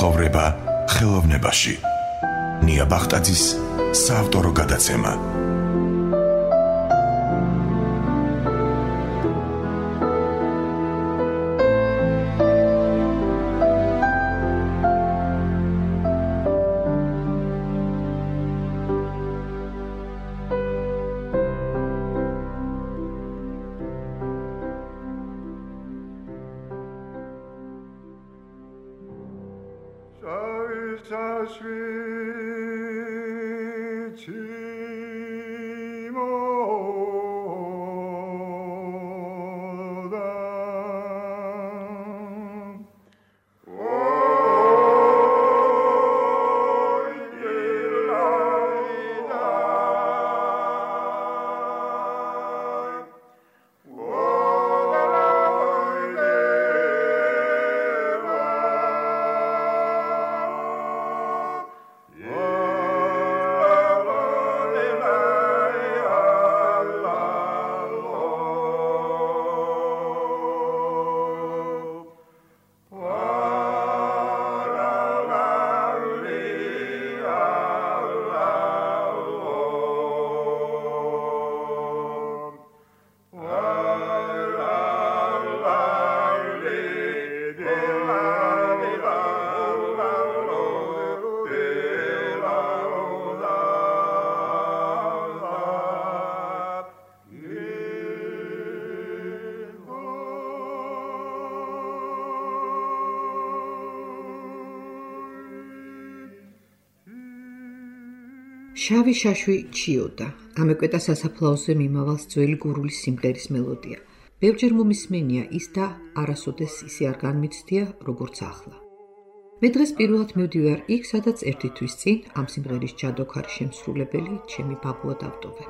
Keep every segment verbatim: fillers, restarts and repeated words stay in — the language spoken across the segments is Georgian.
ცხოვრება ხელოვნებაში. ნია ბახტაძის საავტორო გადაცემა. შავი შაშვი ჩიოდა. ამეკვეთა სასაფლაოზე მიმავალს ძველი გურული სიმღერის მელოდია. ბევრჯერ მომისმენია ის და არასოდეს ისე არ განმიცდია, როგორც ახლა. მე დღეს პირველად მივდივარ იქ, სადაც ერთი თვის წინ ამ სიმღერის ჯადოქარი შემსრულებელი ჩემი ბაბუა დავტოვე.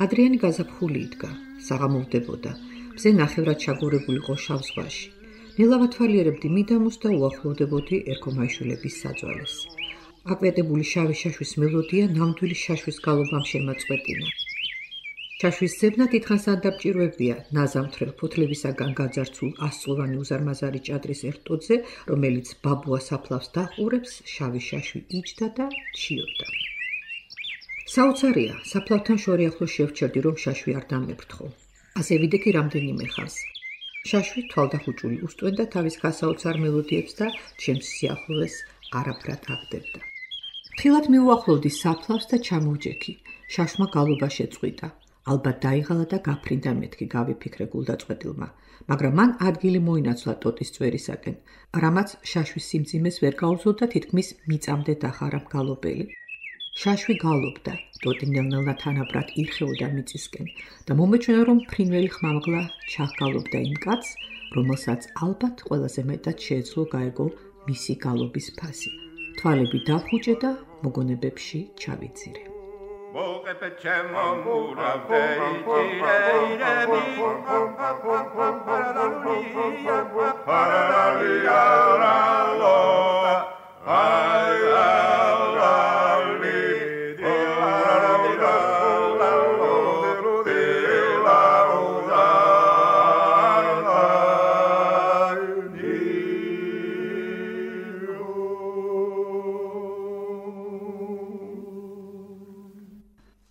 ადრიანი გაზაფხული იდგა, საღამოვდებოდა, მზე ნახევრად ჩაგორებული იყო შავ ზღვაში. ნელა ვათვალიერებდი მიდამოს და უახლოვდებოდი ერქომაიშვილების საძვალეს. აკვეტებული შავი შაშვის მელოდია ნამდვილი შაშვის გალობამ შემაწყვეტინა. შაშვის ზებნა დიდხანს ადაპჭირვებია ნაზამთრელ ფოთლებისაგან გაძარცულ ასწლოვანი უზარმაზარი ჭადრის ერთოძე, რომელიც ბაბუა საფლავს დაყურებს, შავი შაშვი იჯდა და ჩიოდა. საოცარია, საფლავთან შორი ახლო შევჩერდი, რომ შაშვი არ დამეფრთხო. ასე ვიდექი რამდენიმე ხანს. შაშვი თვალდახუჭული უსტვენდა თავის გასაოცარ მელოდიებს და ჩემს სიახლოვეს არაფრად აგდებდა. ხილად მიუახლოვდი საფლავს და ჩამოვჯექი. შაშმა გალობა შეწყვიტა. ალბათ დაიღალა და გაფრინდა მეთქი, გავიფიქრე გულდაწყვეტილმა, მაგრამ მან ადგილი მოინაცვლა ტოტის წვერისაკენ, რამაც შაშვის სიმძიმეს ვერ გაუძლო და თითქმის მიწამდე დახარა მგალობელი. შაშვი გალობდა, ტოტი ნელ-ნელა თანაბრად ირხეოდა მიწისკენ და მომეჩვენა, რომ ფრინველი ხმამაღლა ჩაღგალობდა იმ კაცს, რომელსაც ალბათ ყველაზე მეტად შეეძლო გაეგო მისი გალობის ფასი. თვალები დახუჭე და მოგონებებში ჩავიძირე.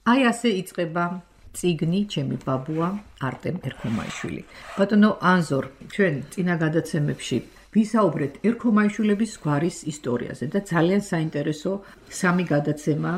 აი ასე იწყება წიგნი ჩემი ბაბუა არტემ ერქომაიშვილი. ბატონო ანზორ, ჩვენ წინა გადაცემებში ვისაუბრეთ ერქომაიშვილების გვარის ისტორიაზე და ძალიან საინტერესო სამი გადაცემა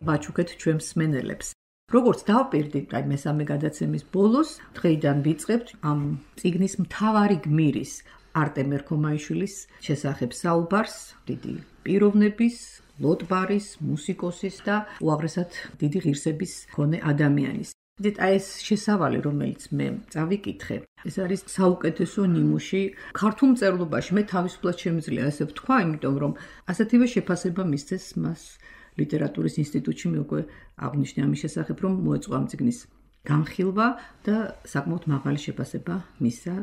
ვაჩუქეთ ჩვენ მსმენელებს. როგორც დავპირდით, აი მესამე გადაცემის ბოლოს დღეიდან ვიწყებთ ამ წიგნის მთავარი გმირის არტემ ერქომაიშვილის შესახებ საუბარს, დიდი პიროვნების, ლოტბარის, მუსიკოსის და უაღრესად დიდი ღირსების მქონე ადამიანის. დით აი ეს შესავალი, რომელიც მე წავიკითხე, ეს არის საუკეთესო ნიმუში ქართულ მწერლობაში. მე თავისუფლად შემიძლია ასე ვთქვა, იმიტომ რომ ასეთივე შეფასება მისცეს მას ლიტერატურის ინსტიტუტში მე უკვე აღნიშნე ამის შესახებ, რომ მოეწყო ამ წიგნის განხილვა და საკმაოდ მაღალი შეფასება მისცა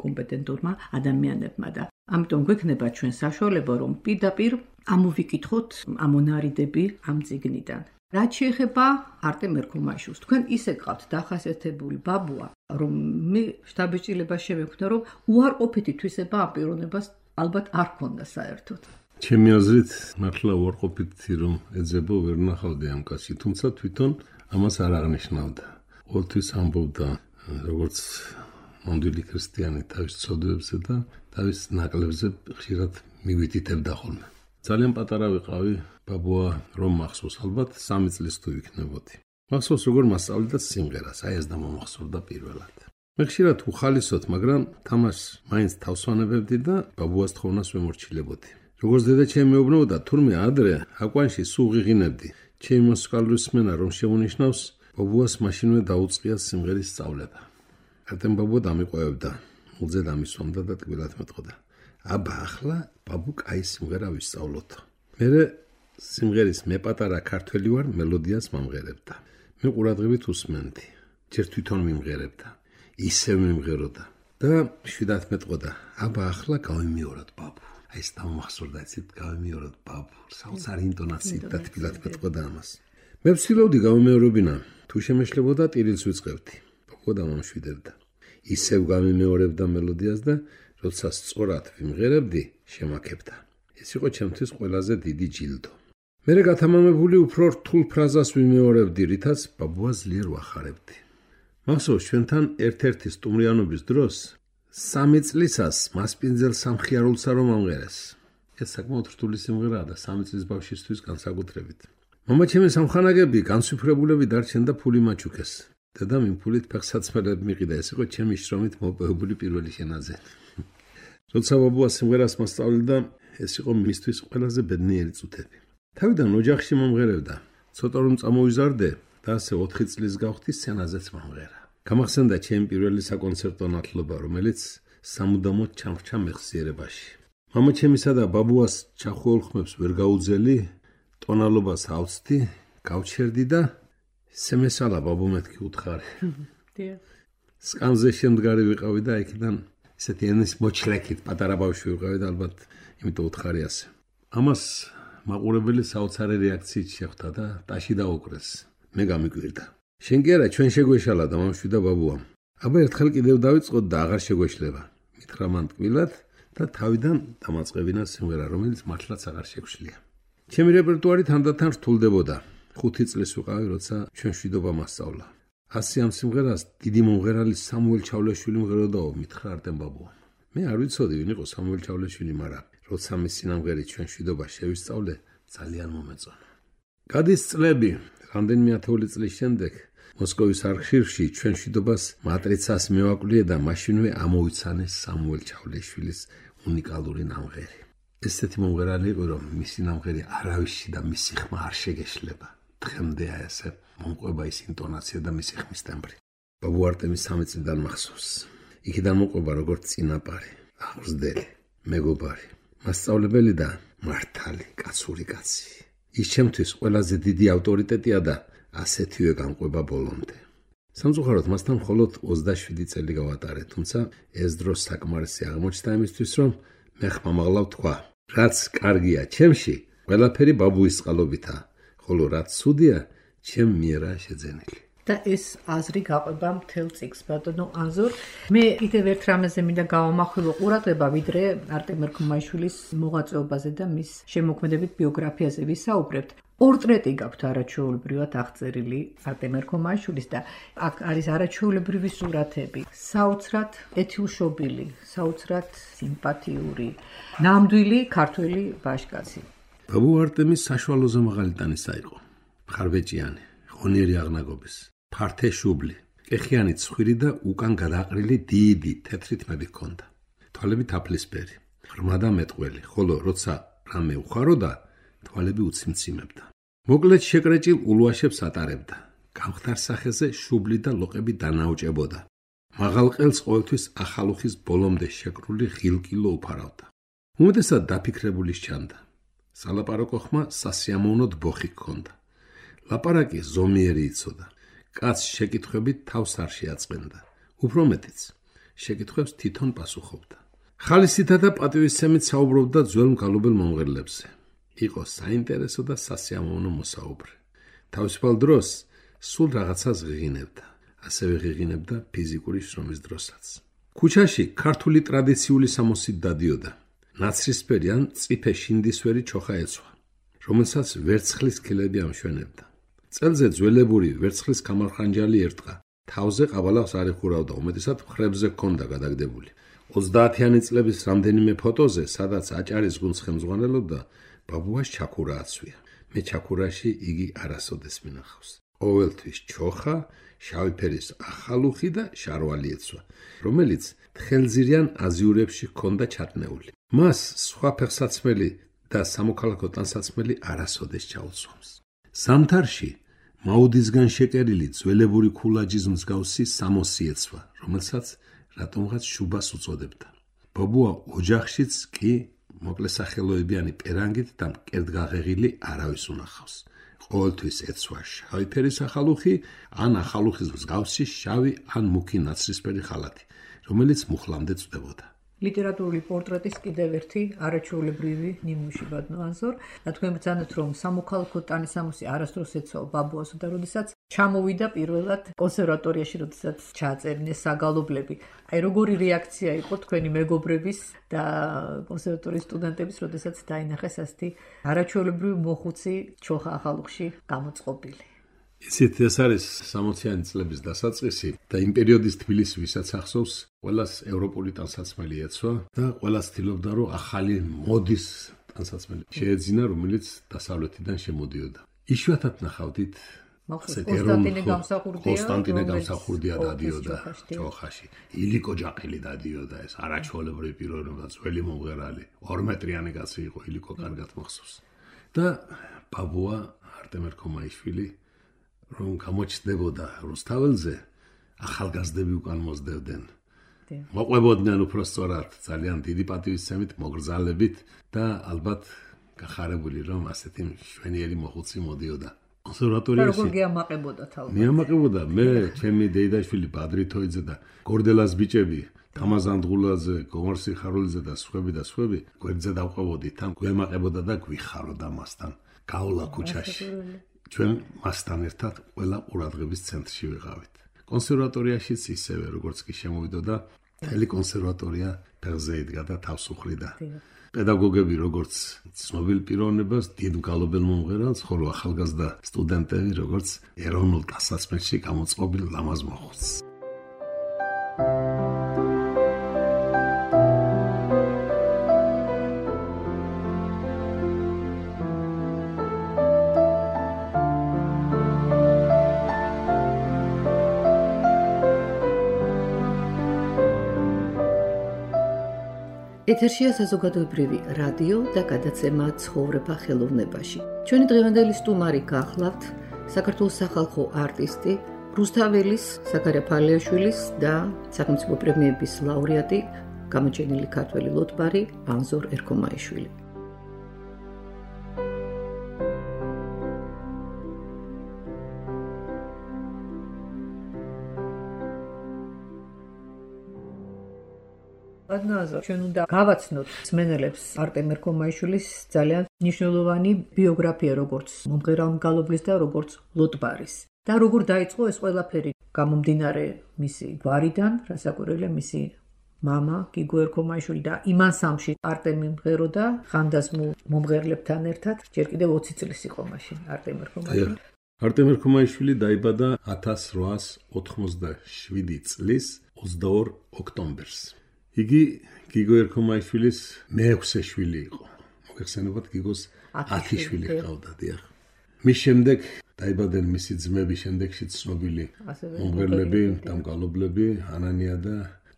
კომპეტენტურმა ადამიანებმა და ამიტომ გვექნება ჩვენ საშუალება, რომ პირდაპირ ამოვიკითხოთ ამონარიდები ამ წიგნიდან. რაც შეეხება არტემ ერქომაიშვილს, თქვენ ისე გყავთ დახასიათებული ბაბუა, რომ მე შთაბეჭდილება შევექმნა, რომ უარყოფითი თვისება ამ პიროვნებას ალბათ არ ქონდა საერთოდ. ჩემი აზრით, მართლა უარყოფითი რომ ეძებო ვერ ნახავდი ამ კაცში, თუმცა თვითონ ამას არ აღნიშნავდა. ყოველთვის ამბობდა, როგორც ნამდვილი ქრისტიანი თავის ცოდვებზე და თავის ნაკლებზე ხშირად მივიტითებდა ხოლმე. ძალიან პატარა ვიყავი, ბაბუა რომ მახსოვს, ალბათ სამი წლის თუ ვიქნებოდი. მახსოვს როგორ მასწავლიდა სიმღერას, აი ეს და მომახსოვდა პირველად. მე ხშირად უხალისოდ, მაგრამ თამაშს მაინც თავს ვანებებდი და ბაბუას თხოვნას ვემორჩილებოდი. როგორც დედა ჩემი მეუბნებოდა, თურმე ადრე აკვანში სულ ღიღინებდი. ჩემი მუსიკალური სმენა რომ შემონიშნავს, ბაბუას მაშინვე დაუწყია სიმღერის სწავლება. არტემ ბაბუა დამიყვევდა, მულზე დამისვამდა და ტკბილად მეტყოდა. აბა ახლა ბაბუ კაი სიმღერა ვისწავლოთ. მერე სიმღერის მე პატარა ქართველი ვარ მელოდიას მომღერებდა. მე ყურადღებით უსმენდი. ჯერ თვითონ მიმღერებდა. ისევ მიმღეროდა და შვიდათ მეტყოდა. აბა ახლა გავიმეოროთ ბაბუ. აი ეს დამახსოვრდა იცით გავიმეოროთ ბაბუ. საოცარი ინტონაციით და თბილად მეტყოდა ამას. მე ვცდილობდი გავიმეორებინა. თუ შემეშლებოდა ტირილს ვიწყებდი. ბაბუა დამამშვიდებდა. ისევ გამიმეორებდა მელოდიას და როცა სწორად ვიმღერებდი, შემაქებდა. ეს იყო ჩემთვის ყველაზე დიდი ჯილდო. მერე გათამამებული უფრო რთულ ფრაზას ვიმეორებდი, რითაც ბაბუას ძლიერ ვახარებდი. მახსოვს ჩვენთან ერთ-ერთი სტუმრიანობის დროს სამი წლისას მასპინძელ სამხიარულსა რომ ამღერეს. ეს საკმაოდ რთული სიმღერაა და სამი წლის ბავშვისთვის განსაკუთრებით. მამა ჩემი სამხანაგები განსვიფრებულები დარჩენ და ფული მაჩუქეს. დედამ იმ ფულით ფეხსაცმელები მიყიდა, ეს იყო ჩემი შრომით მოპოვებული პირველი შენაძენი. როცა ბაბუა სიმღერას მასწავლიდა, ეს იყო მისთვის ყველაზე ბედნიერი წუთები. თავიდან ოჯახში მომღერებდა, ცოტა რომ წამოვიზარდე და ასე ოთხი წლის გავხდი სცენაზეც მომღერა. გამახსენდა ჩემი პირველი საკონცერტო ნათლობა, რომელიც სამუდამოდ ჩამრჩა მეხსიერებაში. მამა ჩემისა და ბაბუას ჩახუოლ ხმებს ვერ გაუძელი, ტონალობას ავწდი, გავჩერდი და სემესალა ბაბუ მეთქი უთხარი. სკამზე შემდგარი ვიყავი და იქიდან ესეთი ენის მოჩლეკით პატარა ბავშვი ვიყავი და ალბათ იმიტომ უთხარი ასე. ამას მაყურებელი საოცარი რეაქციით შეხვდა და ტაში დაუკრეს. მე გამიკვირდა. შენ კი არა, ჩვენ შეგვეშალა და მამშვი და ბაბუამ. აბა ერთხელ კიდევ დავიწყოთ და აღარ შეგვეშლება. მითხრა მან ტკბილად და თავიდან დამაწყებინა სიმღერა, რომელიც მართლაც აღარ შეგვშლია. ჩემი რეპერტუარი თანდათან რთულდებოდა. ხუთი წლის ვიყავი, როცა ჩვენ მშვიდობა მასწავლა. ასი ამ სიმღერას დიდი მომღერალი სამუელ ჩავლეშვილი მღეროდაო, მითხრა არტემ ბაბუამ. მე არ ვიცოდი ვინ იყო სამუელ ჩავლეშვილი, მაგრამ როცა მის სინამღერი ჩვენ მშვიდობა შევისწავლე, ძალიან მომეწონა. გადის წლები, რამდენიმე ათეული წლის შემდეგ მოსკოვის არქივში ჩვენ მშვიდობას მატრიცას მევაკვლიე და მაშინვე ამოვიცანე სამუელ ჩავლეშვილის უნიკალური ნამღერი. ესეთი მომღერალი იყო, რომ მისი ნამღერი არავისში და მისი ხმა არ შეგეშლება. დღემდე აი ესე მომყვება ის ინტონაცია და მისი ხმის ტემბრი. ბაბუ არტემის სამი წლიდან მახსოვს. იქიდან მოყვება როგორც წინაპარი, აღზრდელი, მეგობარი, მასწავლებელი და მართალი, კაცური კაცი. ის ჩემთვის ყველაზე დიდი ავტორიტეტია და ასეთივე გამყვება ბოლომდე. სამწუხაროდ მასთან მხოლოდ ოცდაშვიდი წელი გავატარე, თუმცა ეს დრო საკმარისი აღმოჩნდა იმისთვის, რომ მე ხმამაღლა ვთქვა. რაც კარგია ჩემში, ყველაფერი ბაბუის წყალობითა, ხოლო რაც ცუდია, ჩემ მიერაა შეძენილი. და ეს აზრი გაყვება მთელ წიგნს, ბატონო ანზორ. მე კიდევ ერთ რამეზე მინდა გავამახვილო ყურადღება, ვიდრე არტემ ერქომაიშვილის მოღვაწეობაზე და მის შემოქმედებით ბიოგრაფიაზე ვისაუბრებთ. პორტრეტი გაქვთ არაჩვეულებრივად აღწერილი არტემ ერქომაიშვილის და აქ არის არაჩვეულებრივი სურათები, საოცრად ეთილშობილი, საოცრად სიმპათიური, ნამდვილი ქართველი ბაშკაცი. ბაბუ არტემი საშუალოზე მაღალი ტანისა იყო, მხარბეჭიანი, ღონიერი აღნაგობის, ფართე შუბლი, კეხიანი ცხვირი და უკან გადაყრილი დიდი თეთრი თმები ჰქონდა. თვალები თაფლისფერი, ღრმა და მეტყველი, ხოლო როცა რამე უხაროდა, თვალები უციმციმებდა. მოკლედ შეკრეჭილ ულვაშებს ატარებდა. გამხდარ სახეზე შუბლი და ლოყები დანაოჭებოდა. მაღალ ყელს ყოველთვის ახალუხის ბოლომდე შეკრული ღილკილო უფარავდა. უმეტესად დაფიქრებული სჩანდა. სალაპარაკო ხმა სასიამოვნოდ ბოხი ჰქონდა. ლაპარაკი ზომიერი იცოდა. კაცს შეკითხვებით თავს არ შეაწყენდა. უფრო მეტიც, შეკითხვებს თვითონ პასუხობდა. ხალისითა და პატივისცემით საუბრობდა ძველ მგალობელ მომღერლებზე. იყო საინტერესო და სასიამოვნო მოსაუბრე. თავისუფალ დროს სულ რაღაცას ღიღინებდა. ასევე ღიღინებდა ფიზიკური შრომის დროსაც. ქუჩაში ქართული ტრადიციული სამოსით დადიოდა. ნაცრისფერი ან წიფე შინდისფერი ჩოხა ეცვა, რომელსაც ვერცხლის ქილები ამშვენებდა. წელზე ძველებური ვერცხლის კამარხანჯალი ერტყა. თავზე ყაბალაღს არ ეხურავდა, უმეტესად მხრებზე ჰქონდა გადაგდებული. ოცდაათიანი წლების რამდენიმე ფოტოზე, სადაც აჭარის გუნდს ხელმძღვანელობდა, ბაბუას ჩაქურა აცვია. მე ჩაქურაში იგი არასოდეს მინახავს. ყოველთვის ჩოხა, შავი ფერის ახალუხი და შარვალი ეცვა, რომელიც თხელძირიან აზიურებში ჰქონდა ჩატნეული. მას სხვა ფეხსაცმელი და სამოქალაქო ტანსაცმელი არასოდეს ჩაუცვამს. ზამთარში მაუდისგან შეკერილი ძველებური ქულაჯის მსგავსი სამოსი ეცვა, რომელსაც რატომღაც შუბას უწოდებდა. ბაბუა ოჯახშიც კი მოკლესახელოებიანი პერანგით და მკერდგაღეღილი არავის უნახავს. ყოველთვის ეცვა შავი ფერის ახალუხი, ან ახალუხის მსგავსი შავი ან მუქი ნაცრისფერი ხალათი, რომელიც მუხლამდე წვდებოდა. ლიტერატურული პორტრეტის კიდევ ერთი არაჩვეულებრივი ნიმუში ბატონო ანზორ. რა თქვენ ბრძანეთ, რომ სამოქალაქო ტანისამოსი არასდროს ეცვა ბაბუასო და როდესაც ჩამოვიდა პირველად კონსერვატორიაში, როდესაც ჩააწერინეს საგალობლები. აი როგორი რეაქცია იყო თქვენი მეგობრების და კონსერვატორიის სტუდენტების, როდესაც დაინახეს ასეთი არაჩვეულებრივი მოხუცი ჩოხა ახალუხში გამოწყობილი. იცით, ეს არის სამოციანი წლების დასაწყისი და იმ პერიოდის თბილისი, ვისაც ახსოვს, ყველას ევროპული ტანსაცმელი ეცვა და ყველას ცდილობდა, რომ ახალი მოდის ტანსაცმელი შეეძინა, რომელიც დასავლეთიდან შემოდიოდა. იშვიათად ნახავდით კონსტანტინე გამსახურდია, კონსტანტინე გამსახურდია დადიოდა ჩოხაში. ილიკო ჯაყელი დადიოდა, ეს არაჩვეულებრივი პიროვნება, ძველი მომღერალი, ორმეტრიანი კაცი იყო, ილიკო კარგად მახსოვს. და ბაბუა არტემ ერქომაიშვილი რომ გამოჩნდებოდა რუსთაველზე, ახალგაზრდები უკან მოსდევდნენ. მოყვებოდნენ უფრო სწორად, ძალიან დიდი პატივისცემით, მოგრძალებით და ალბათ გახარებული, რომ ასეთი მშვენიერი მოხუცი მოდიოდა. კონსერვატორიაში. როგორ გიამაყებოდა თალბათ? მიამაყებოდა მე, ჩემი დეიდაშვილი ბადრი თოიძე და გორდელას ბიჭები, თამაზან დღულაძე, გომარ სიხარულიძე და სხვები და სხვები, გვერდზე დავყვებოდით, თან გვემაყებოდა და გვიხაროდა მასთან. გავლა ქუჩაში. ჩვენ მასთან ერთად ყველა ყურადღების ცენტრში ვიყავით. კონსერვატორიაშიც ისევე, როგორც კი შემოვიდოდა, მთელი კონსერვატორია ფეხზე იდგა და თავს უხლიდა. პედაგოგები როგორც ცნობილ პიროვნებას, დიდ მგალობელ მომღერალს, ხოლო ახალგაზრდა სტუდენტები როგორც ეროვნულ ტანსაცმელში გამოწყობილ ლამაზ მოხუცს. ეთერშია საზოგადოებრივი რადიო და გადაცემა ცხოვრება ხელოვნებაში. ჩვენი დღევანდელი სტუმარი გახლავთ საქართველოს სახალხო არტისტი, რუსთაველის, ზაქარია ფალიაშვილის და სახელმწიფო პრემიების ლაურეატი, გამოჩენილი ქართველი ლოტბარი ანზორ ერქომაიშვილი. ბატონო, ჩვენ უნდა გავაცნოთ მსმენელებს არტემ ერქომაიშვილის ძალიან მნიშვნელოვანი ბიოგრაფია, როგორც მომღერალ მგალობლის და როგორც ლოტბარის. და როგორ დაიწყო ეს ყველაფერი, გამომდინარე მისი გვარიდან, რასაკვირველია მისი მამა გიგო ერქომაიშვილი და იმ ანსამბლში არტემი მღეროდა ხანდაზმულ მომღერლებთან ერთად, ჯერ კიდევ ოცი წლის იყო მაშინ არტემ ერქომაიშვილი. არტემ ერქომაიშვილი დაიბადა ათას რვაას ოთხმოცდაშვიდი წლის ოცდაორ ოქტომბერს. იგი გიგო ერქომაიშვილის მეექვსე შვილი იყო. მოგეხსენებათ, გიგოს ათი შვილი ჰყავდა, დიახ. მის შემდეგ დაიბადნენ მისი ძმები, შემდეგში ცნობილი მომღერლები და მგალობლები ანანია და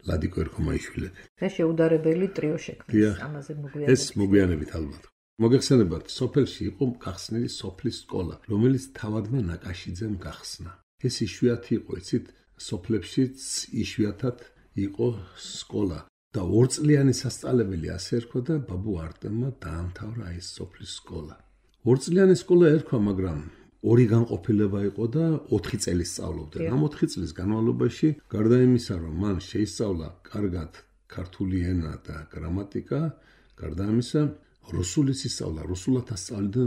ლადიკო ერქომაიშვილები. და შეუდარებელი ტრიო შექმნეს, ამაზე მოგვიანებით. ეს მოგვიანებით ალბათ. მოგეხსენებათ, სოფელში იყო გახსნილი სოფლის სკოლა, რომელიც თავადმა ნაკაშიძემ გახსნა. ეს იშვიათი იყო, იცით, სოფლებშიც იშვიათად იყო სკოლა. და ორწლიანი სასწავლებელი ასე ერქვა და ბაბუ არტემმა დაამთავრა ეს სოფლის სკოლა. ორწლიანი სკოლა ერქვა, მაგრამ ორი განყოფილება იყო და ოთხი წელი სწავლობდა. ამ ოთხი წლის განმავლობაში, გარდა იმისა, რომ მან შეისწავლა კარგად ქართული ენა და გრამატიკა, გარდა ამისა, რუსულიც ისწავლა, რუსულად ასწავლიდა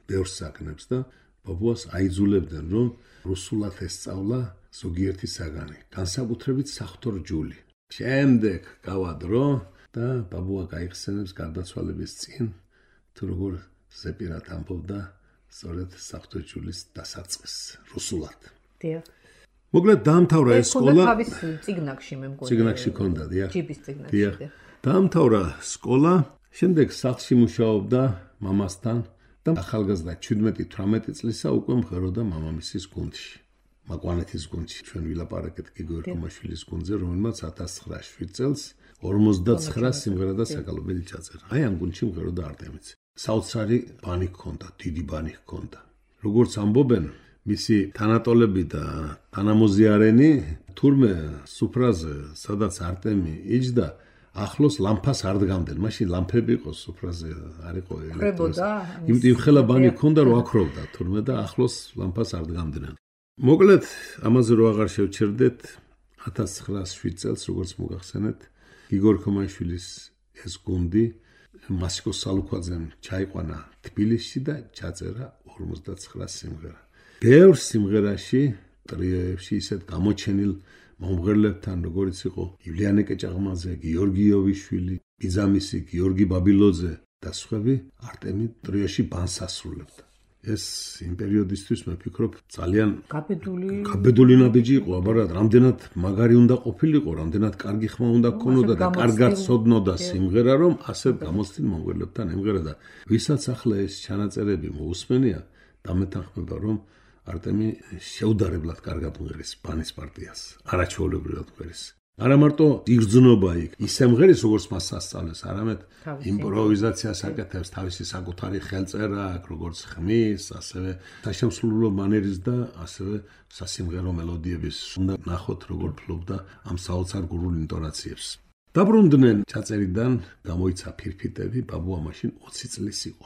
ბევრ საგნებს და ბაბუას აიძულებდნენ, რომ რუსულად ესწავლა ზოგიერთი საგანი, განსაკუთრებით საღვთო რჯული. შემდეგ გავა დრო და ბაბუა გაიხსენებს გარდაცვალების წინ, თუ როგორ ზეპირად ამბობდა სწორედ საღვთო რჯულის დასაწყისს რუსულად. დიახ. მოკლედ დაამთავრა ეს სკოლა. თავის წიგნაკში მე მგონი. წიგნაკში ქონდა, დიახ. ჯიბის წიგნაკში. დიახ. დაამთავრა სკოლა, შემდეგ სახლში მუშაობდა მამასთან და ახალგაზრდა ჩვიდმეტი თვრამეტი წლისა უკვე მღეროდა მამამისის გუნდში. მაკვანეთის გუნდში ჩვენ ვილაპარაკეთ გიგო ერქომაშვილის გუნდზე, რომელმაც ათას ცხრაას შვიდ წელს ორმოცდაცხრა სიმღერა და საგალობელი ჩაწერა. აი ამ გუნდში მღეროდა არტემიც. საოცარი ბანი ჰქონდა, დიდი ბანი ჰქონდა. როგორც ამბობენ, მისი თანატოლები და თანამოზიარენი თურმე სუფრაზე, სადაც არტემი იჯდა, ახლოს ლამპას არ დგამდნენ. მაშინ ლამპები იყო სუფრაზე, არ იყო ელექტროს. იმიტომ ხელა ბანი ჰქონდა, რომ აქროვდა თურმე და ახლოს ლამპას არ დგამდნენ. მოკლედ, ამაზე რო აღარ შევჩერდეთ, ათას ცხრაას შვიდ წელს, როგორც მოგახსენეთ, გიგო ერქომაშვილის ეს გუნდი მასიკო სალუქვაძემ ჩაიყვანა თბილისში და ჩაწერა ორმოცდაცხრა სიმღერა. ბევრ სიმღერაში, ტრიოებში ისეთ გამოჩენილ მომღერლებთან, როგორც იყო ივლიანე კეჭაღმაძე, გიორგი იოვიშვილი, ბიძამისი, გიორგი ბაბილოძე და სხვები, არტემი ტრიოში ბანს ასრულებდა. ეს იმ პერიოდისთვის მე ვფიქრობ ძალიან გაბედული გაბედული ნაბიჯი იყო, აბარად, რამდენად მაგარი უნდა ყოფილიყო, რამდენად კარგი ხმა უნდა ქონოდა და კარგად ცოდნოდა სიმღერა, რომ ასე გამოცდილ მომღერლებთან ემღერა და ვისაც ახლა ეს ჩანაწერები მოусმენია, დამეთანხმება, რომ არტემი შეუდარებლად კარგად მღერის ბანის პარტიას, არაჩვეულებრივად მღერის. არა მარტო იგრძნობა იქ, ისე მღერის, როგორც მას სასწავლეს, არამედ იმპროვიზაციას აკეთებს, თავისი საკუთარი ხელწერა, როგორც ხმის, ასევე საშემსრულო მანერის და ასევე სასიმღერო მელოდიების. უნდა ნახოთ, როგორ ფლობდა ამ საოცარ გურულ ინტონაციებს. დაბრუნდნენ ჩაწერიდან, გამოიცა ფირფიტები, ბაბუა მაშინ ოცი წლის იყო.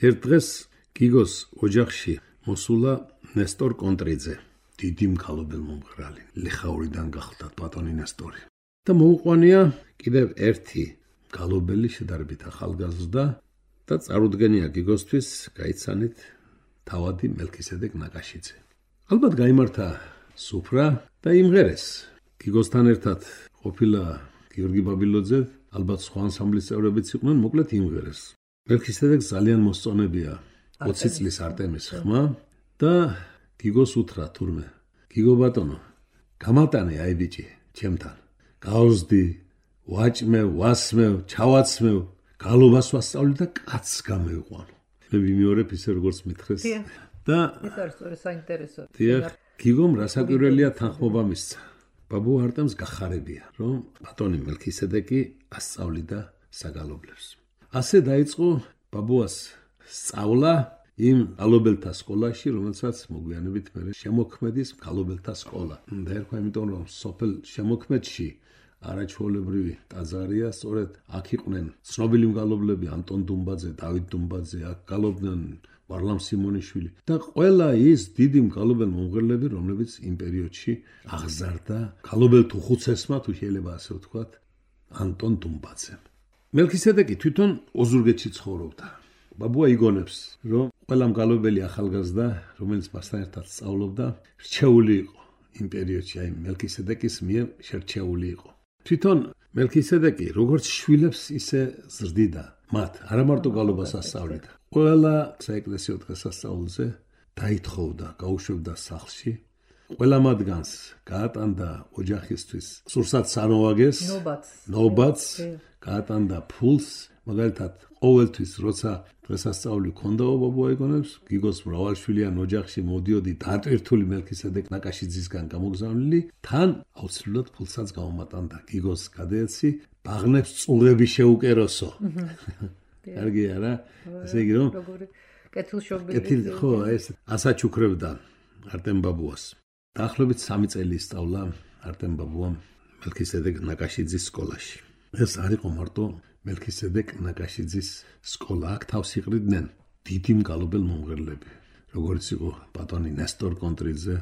ერთ დღეს გიგოს ოჯახში მოსულა ნესტორ კონტრიძე. დიდი მგალობელ მომღერალი, ლიხაურიდან გახლდათ ბატონი ნესტორი. და მოუყვანია კიდევ ერთი მგალობელი შედარებით ახალგაზრდა და წარუდგენია გიგოსთვის გაიცანით თავადი მელქისედეკ ნაკაშიძე. ალბათ გაიმართა სუფრა და იმღერეს. გიგოსთან ერთად ყოფილა გიორგი ბაბილოძე, ალბათ სხვა ანსამბლის წევრებიც იყვნენ, მოკლედ იმღერეს. მელქისედეკს ძალიან მოსწონებია ოცი წლის არტემის ხმა და გიგოს უთხრა თურმე, გიგო ბატონო, გამატანე აი ბიჭი, ჩემთან. გავზდი, ვაჭმევ, ვასმევ, ჩავაცმევ, გალობას ვასწავლი და კაცს გამევიყვანო. მე ვიმეორებ ისე როგორც მითხრეს. და ეს არის სწორი საინტერესო. დიახ, გიგომ რასაკვირველია თანხმობა მისცა. ბაბუ არტემს გახარებია, რომ ბატონი მელქისედეკი ასწავლიდა საგალობლებს. ასე დაიწყო ბაბუას სწავლა იმ გალობელთა სკოლაში, რომელსაც მოგვიანებით მე შემოქმედის გალობელთა სკოლა. და ერქვა იმიტომ, რომ სოფელ შემოქმედში არაჩვეულებრივი ტაძარია, სწორედ აქ იყვნენ ცნობილი მგალობლები ანტონ დუმბაძე, დავით დუმბაძე, აქ გალობდნენ ვარლამ სიმონიშვილი და ყველა ის დიდი მგალობელ მომღერლები, რომლებიც იმ პერიოდში აღზარდა გალობელთ უხუცესმა, თუ შეიძლება ასე ვთქვათ, ანტონ დუმბაძემ. მელქისედეკი თვითონ ოზურგეთში ცხოვრობდა. ბაბუა იგონებს, რომ ყველა მგალობელი ახალგაზრდა, რომელიც მასთან ერთად სწავლობდა, რჩეული იყო იმ პერიოდში, აი მელქისედეკის მიერ შერჩეული იყო. თვითონ მელქისედეკი როგორც შვილებს ისე ზრდიდა მათ, არა მარტო გალობას ასწავლიდა. ყველა საეკლესიო დღესასწაულზე დაითხოვდა, გაუშვებდა სახლში. ყველა მათგანს გაატანდა ოჯახისთვის სურსათ სამოვაგეს, ნობაც, ნობაც, გაატანდა ფულს, მაგალითად ყოველთვის როცა დღესასწაული ქონდაო ბაბუა იგონებს, გიგოს მრავალშვილიან ოჯახში მოდიოდი დატვირთული მელქისედეკ ნაკაშიძისგან გამოგზავნილი, თან აუცილებლად ფულსაც გამომატანდა. გიგოს გადაეცი, ბაღნებს წურები შეუკეროსო. კარგია რა, ესე იგი რომ კეთილშობილი. კეთილ ხო, ეს ასაჩუქრებდა არტემ ბაბუას. დაახლოებით სამი წელი ისწავლა არტემ ბაბუამ მელქისედეკ ნაკაშიძის სკოლაში. ეს არ იყო მარტო მელქისედეკ ნაკაშიძის სკოლა, აქ თავს იყრიდნენ დიდი მგალობელ მომღერლები, როგორც იყო ბატონი ნესტორ კონტრიძე,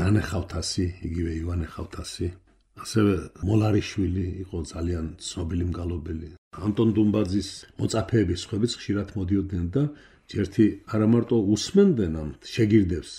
ნანე ხავთასი, იგივე ივანე ხავთასი, ასევე მოლარიშვილი იყო ძალიან ცნობილი მგალობელი. ანტონ დუმბაძის მოწაფეების ხვებიც ხშირად მოდიოდნენ და ერთი არა მარტო უსმენდნენ ამ შეგირდებს,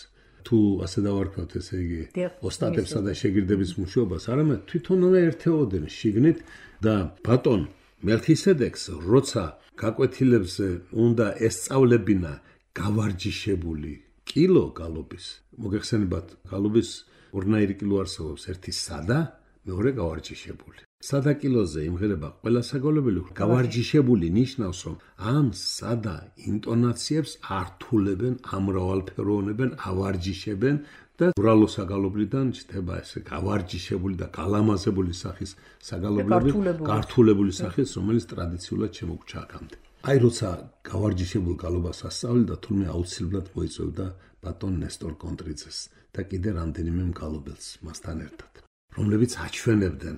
თუ ასე დავარქვათ, ესე იგი, ოსტატებსა და შეგირდების მუშაობას, არამედ თვითონვე ერთეოდნენ შიგნით და ბატონ მელქისედეკს, როცა გაკვეთილებზე უნდა ესწავლებინა გავარჯიშებული კილო გალობის, მოგეხსენებათ, გალობის ორნაირი კილო არსებობს, ერთი სადა, მეორე გავარჯიშებული. სადა კილოზე იმღერება ყველა საგალობელი, გავარჯიშებული ნიშნავს, რომ ამ სადა ინტონაციებს ართულებენ, ამრავალფეროვნებენ, ავარჯიშებენ და ბრალო საგალობლიდან ჩდება ესე გავარჯიშებული და გალამაზებული სახის საგალობლები, გართულებული სახის, რომელიც ტრადიციულად შემოგვჭა აქამდე. აი როცა გავარჯიშებულ გალობას ასწავლიდა, თურმე აუცილებლად მოიწევდა ბატონ ნესტორ კონტრიძეს და კიდე რამდენიმე მგალობელს მასთან ერთად, რომლებიც აჩვენებდნენ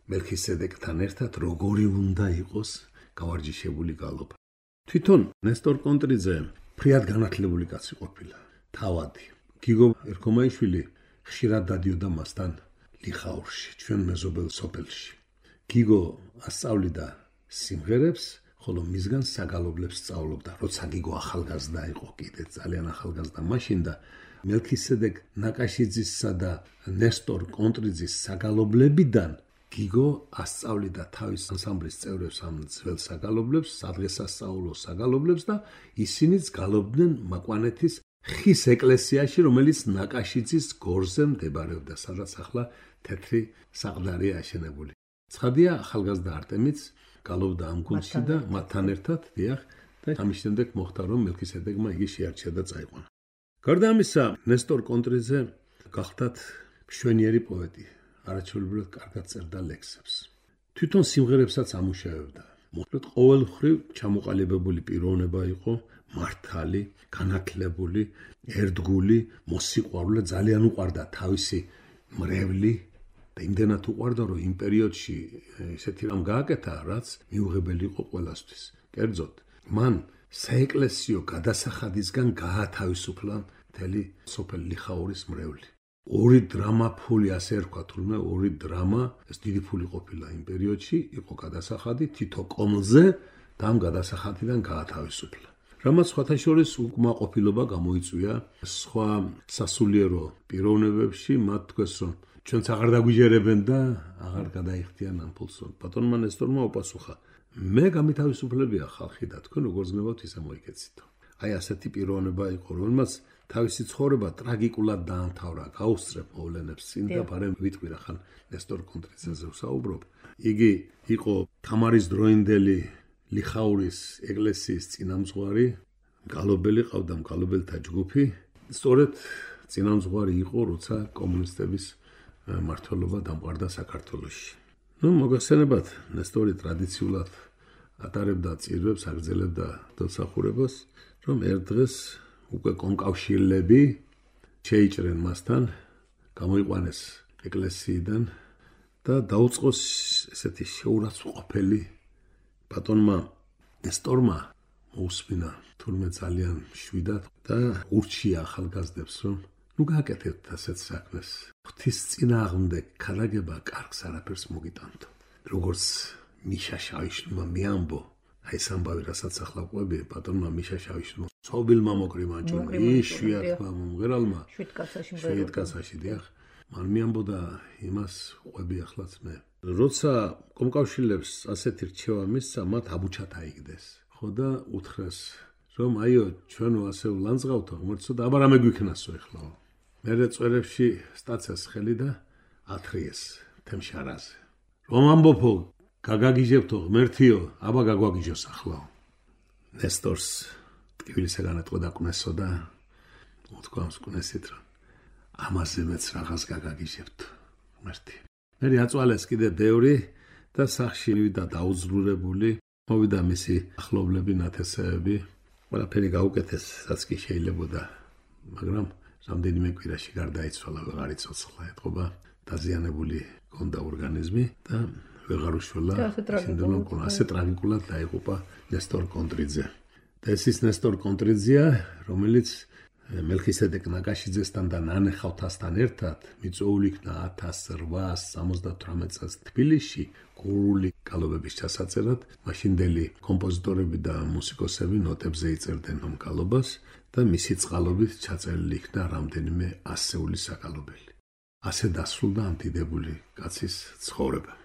მელქისედეკთან ერთად როგორი უნდა იყოს გავარჯიშებული გალობა. თვითონ ნესტორ კონტრიძე ფრიად განათლებული კაცი ყოფილა, თავადი. გიგო ერქომაიშვილი ხშირად დადიოდა მასთან ლიხაურში, ჩვენ მეზობელ სოფელში. გიგო ასწავლიდა სიმღერებს, ხოლო მისგან საგალობლებს სწავლობდა, როცა გიგო ახალგაზრდა იყო, კიდე ძალიან ახალგაზრდა მაშინ და მელქისედეკ ნაკაშიძისა და ნესტორ კონტრიძის საგალობლებიდან გიგო ასწავლიდა თავის ანსამბლის წევრებს ამ ძველ საგალობლებს, სადღესასწაულო საგალობლებს და ისინიც გალობდნენ მაკვანეთის ხის ეკლესიაში, რომელიც ნაკაშიძის გორზე მდებარეობდა, სადაც ახლა თეთრი საყდარია აშენებული. ცხადია, ახალგაზრდა არტემიც გალობდა ამ გუნდში და მათთან ერთად დიახ და ამის შემდეგ მოხდა, რომ მელქისედეკმა იგი შეარჩია და წაიყვანა. გარდა ამისა, ნესტორ კონტრიძე გახდათ მშვენიერი პოეტი, არაჩვეულებრივად კარგად წერდა ლექსებს. თვითონ სიმღერებსაც ამუშავებდა. მოკლედ ყოველმხრივ ჩამოყალიბებული პიროვნება იყო, მართალი, განათლებული, ერთგული, მოსიყვარულე, ძალიან უყვარდა თავისი მრევლი და იმდენად უყვარდა, რომ იმ პერიოდში ესეთი რამ გააკეთა, რაც მიუღებელი იყო ყველასთვის. კერძოდ, მან საეკლესიო გადასახადისგან გაათავისუფლა მთელი სოფელ ლიხაურის მრევლი. ორი დრამა ფული, ასე ერქვა, თურმე ორი დრამა, ეს დიდი ფული ყოფილა იმ პერიოდში, იყო გადასახადი თითო კომლზე და ამ გადასახადიდან გაათავისუფლა. რამაც სხვათა შორის უკმაყოფილება გამოიწვია სხვა სასულიერო პიროვნებებში, მათ თქვეს, რომ ჩვენც აღარ დაგვიჯერებენ და აღარ გადაიხდიან ამ ფულს. ბატონმა ნესტორმა უპასუხა, მე გამითავისუფლებია ხალხი და თქვენ როგორ ზნებავთ ისე მოიქეცითო. აი ასეთი პიროვნება იყო, რომელმაც თავისი ცხოვრება ტრაგიკულად დაამთავრა, გაუსწრებ მოვლენებს წინ და ბარემ ვიტყვი რახან ნესტორ კონტრიძეზე ვსაუბრობ. იგი იყო თამარის დროინდელი ლიხაურის ეკლესიის წინამძღვარი, მგალობელი, ყავდა მგალობელთა ჯგუფი. სწორედ წინამძღვარი იყო, როცა კომუნისტების მმართველობა დამყარდა საქართველოში. ნუ მოგახსენებათ, ნესტორი ტრადიციულად ატარებდა წირვებს, აგრძელებდა დოცახურებას, რომ ერთ დღეს უკვე კონკავშირლები შეიჭრენ მასთან, გამოიყვანეს ეკლესიიდან და დაუწყოს ესეთი შეურაცხყოფელი ბატონმა ნესტორმა მოусმინა თურმე ძალიან შვიდად და ურჩია ახალგაზრდებს, რომ ნუ გააკეთებთ ასეთ საქმეს. ღვთის წინააღმდეგ ქადაგება კარგს არაფერს მოგიტანთო. როგორც მიშა შავიშვილმა მიამბო, აი ეს ამბავი, რასაც ახლა ყვები, ბატონმა მიშა შავიშვილმა ცოვილმა მოკრიმანჭურმა, იშვიათმა მომღერალმა, შვიდკაცაში დიახ, მან მიამბოდა იმას ყვები ახლაც მე. როცა კომკავშირლებს ასეთი რჩევა მისცა, მათ აბუჩად აიგდეს. ხო და უთხრეს, რომ აიო, ჩვენო ასე ვლანძღავთო, ღმერთსო და აბა რამე გვიქნასო ეხლაო. მერე წვერებში სტაცეს ხელი და ათრიეს თემშარაზე. რომ ამბობო, გაგაგიჟებთო ღმერთიო, აბა გაგვაგიჟოს ახლაო. ნესტორს ტკივილისაგან ეთყოდა კვნესო და უთქვა მსკვნესით, რომ ამაზე მეც რაღაც გაგაგიჟებთ ღმერთი. მერე აწვალეს კიდე ბევრი და სახში მივიდა დაუძლურებული, მოვიდა მისი ახლობლები, ნათესეები, ყველაფერი გაუკეთეს, რაც კი შეიძლებოდა, მაგრამ რამდენიმე კვირაში გარდაიცვალა, ვეღარ იცოცხლა, ეთყობა დაზიანებული ჰქონდა ორგანიზმი და ვეღარ უშველა. ასე ტრაგიკულად დაიღუპა ნესტორ კონტრიძე. და ეს ის ნესტორ კონტრიძეა, რომელიც მელქისედეკ ნაკაშიძესთან და ნანე ხავთასთან ერთად მიწვეული იქნა ათას რვაასი სამოცდათვრამეტ წელს თბილისში გურული გალობების ჩასაწერად. მაშინდელი კომპოზიტორები და მუსიკოსები ნოტებზე იწერდნენ ამ გალობას და მისი წყალობით ჩაწერილი იქნა რამდენიმე ასეული საგალობელი. ასე დასრულდა ამ დიდებული კაცის ცხოვრება.